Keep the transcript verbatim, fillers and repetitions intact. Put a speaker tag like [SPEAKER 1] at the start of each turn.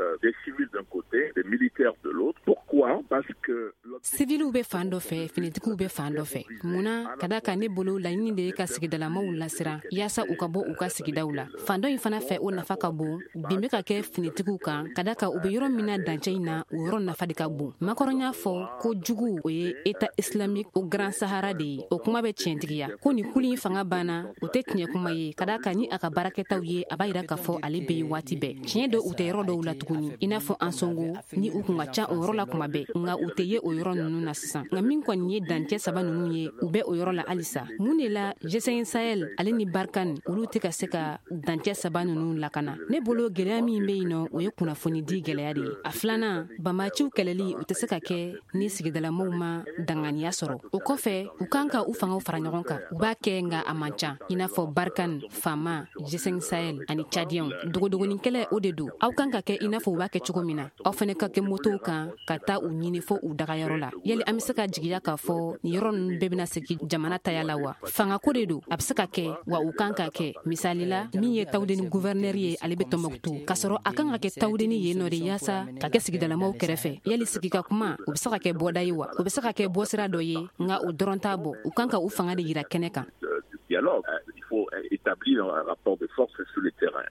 [SPEAKER 1] Euh, des civils d'un côté, des militaires de l'autre. Pourquoi? Parce que
[SPEAKER 2] Siviliw bɛ fan dɔ fɛ, finitigiw bɛ fan dɔ fɛ. Mun na? Ka da kan, ne bolo, laɲini de ye ka sigidalamaw lasiran yaasa u ka bɔ u ka sigidaw la. Fan dɔ in fana fɛ, o nafa ka bon. Bin bɛ ka kɛ finitigiw kan, ka da kan u bɛ yɔrɔ min na dancɛ in na, o yɔrɔ nafa de ka bon. Macron y'a fɔ ko jugu, o ye État islamique au Grand Sahara de ye. O kuma bɛ tiɲɛtigiya ko nin kulu in fanga banna, o tɛ tiɲɛ kuma ye, ka da kan ni a ka baarakɛtaw ye, a b'a yira k'a fɔ ale bɛ yen waati bɛɛ. Tiɲɛ don, u tɛ yɔrɔ dɔw la tuguni, i n'a fɔ Ansongo ni u kun ka ca o yɔrɔ la kuma bɛɛ, nka u tɛ ye o yɔrɔ ninnu na sisan. Nka min kɔni ye dancɛ saba ninnu ye, u bɛ o yɔrɔ la halisa. Mun de la G cinq Sahel ale ni Barkhane, olu tɛ ka se ka dancɛ saba ninnu lakana? Ne bolo, gɛlɛya min bɛ yen nɔ, o ye kunnafoni di gɛlɛya de ye. A filanan, banbaciw kɛlɛli, o tɛ se ka kɛ ni sigidalamaw ma danganiya sɔrɔ. O kɔfɛ, u kan ka u fangaw fara ɲɔgɔn kan. U b'a kɛ, nka a man ca, i n'a fɔ Barkhane, FAMa, G cinq Sahel ani Tchadiens. Dogodogonin kɛlɛ, o de don. Aw kan ka kɛ i n'a fɔ u b'a kɛ cogo min na, aw fɛnɛ ka kɛ motow kan ka taa u ɲini fo u dagayɔrɔ la. Yali an be se ka jigiya k'a fɔ nin yɔrɔ ninnu bɛɛ bena segi jamana taya la wa? Fangako de don. A be se ka kɛ wa, u kan ka kɛ. Misali la, min ye Tawudeni guvɛrnɛri ye, ale be Tɔnbɔkutu, k'a sɔrɔ a kan ka kɛ Tawudeni yen nɔ de yaasa ka kɛ sigidalamaw kɛrɛfɛ. Yali sigi ka kuma, o be se ka kɛ bɔda ye wa? O be se ka kɛ bɔsira dɔ ye, nka o dɔrɔn t'a bɔ. U kan ka u fanga de yira kɛnɛ kan.
[SPEAKER 1] Dialogue, il faut établir un rapport de force sur le terrain.